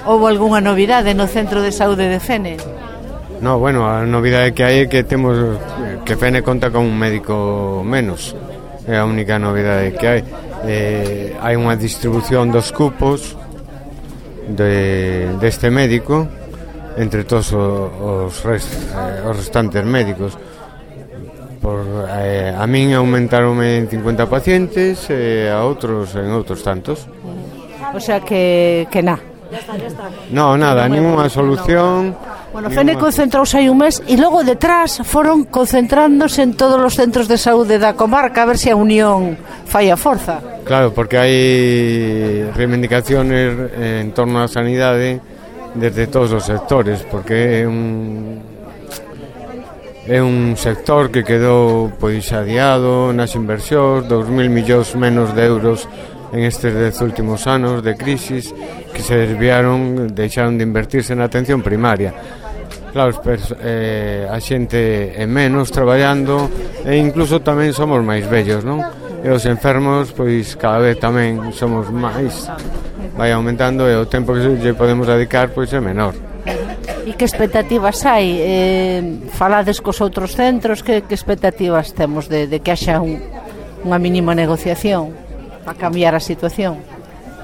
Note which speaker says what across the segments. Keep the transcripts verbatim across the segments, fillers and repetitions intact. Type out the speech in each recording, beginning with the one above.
Speaker 1: Houve algunha novidade no Centro de Saúde de Fene?
Speaker 2: No, bueno, a novidade que hai é que temos que Fene conta con un médico menos. É a única novidade que hai. Eh, hai unha distribución dos cupos de, deste médico entre todos os, rest, eh, os restantes médicos. Por, eh, a min aumentaronme en cincuenta pacientes e eh, a outros en outros tantos.
Speaker 1: O sea que, que na.
Speaker 2: No, nada, ninguna solución.
Speaker 1: Bueno, Fene concentrouse hai un mes e logo detrás foron concentrándose en todos os centros de saúde da comarca a ver se a unión fai a forza.
Speaker 2: Claro, porque hai reivindicaciones en torno á sanidade desde todos os sectores, porque é un é un sector que quedou pois adiado nas inversións, dos mil millóns menos de euros en estes dez últimos anos de crisis que se desviaron, deixaron de invertirse na atención primaria. Claro, eh, a xente é menos traballando e incluso tamén somos máis vellos, non? E os enfermos, pois cada vez tamén somos máis, vai aumentando e o tempo que lle podemos dedicar pois é menor.
Speaker 1: E que expectativas hai? Eh, falades cos outros centros, que, que expectativas temos de, de que haxa un, unha mínima negociación para cambiar a situación?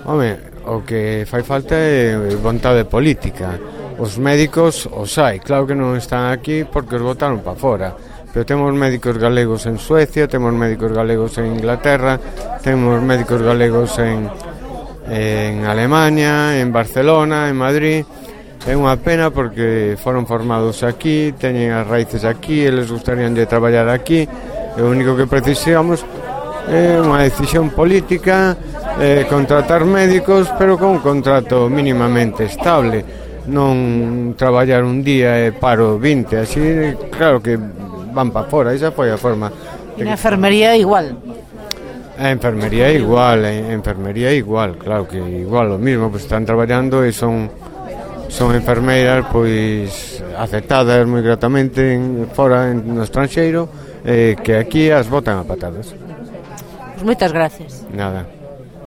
Speaker 2: Home, o que fai falta é vontade política. Os médicos os hai, claro que non están aquí porque os botaron para fora, pero temos médicos galegos en Suecia, temos médicos galegos en Inglaterra, temos médicos galegos en, en Alemania, en Barcelona, en Madrid. É unha pena porque foron formados aquí, teñen as raíces aquí, eles gustarían de traballar aquí, e o único que precisamos é unha decisión política, eh, contratar médicos, pero con un contrato mínimamente estable. Non traballar un día e paro vinte, así claro que van para fora, esa foi a forma.
Speaker 1: E na enfermería igual.
Speaker 2: A enfermería igual, a enfermería igual, claro que igual o mismo, pues están traballando e son son enfermeiras pois aceptadas moi gratamente en, fora en, no estranxeiro, eh, que aquí as botan a patadas.
Speaker 1: Pois moitas gracias.
Speaker 2: Nada.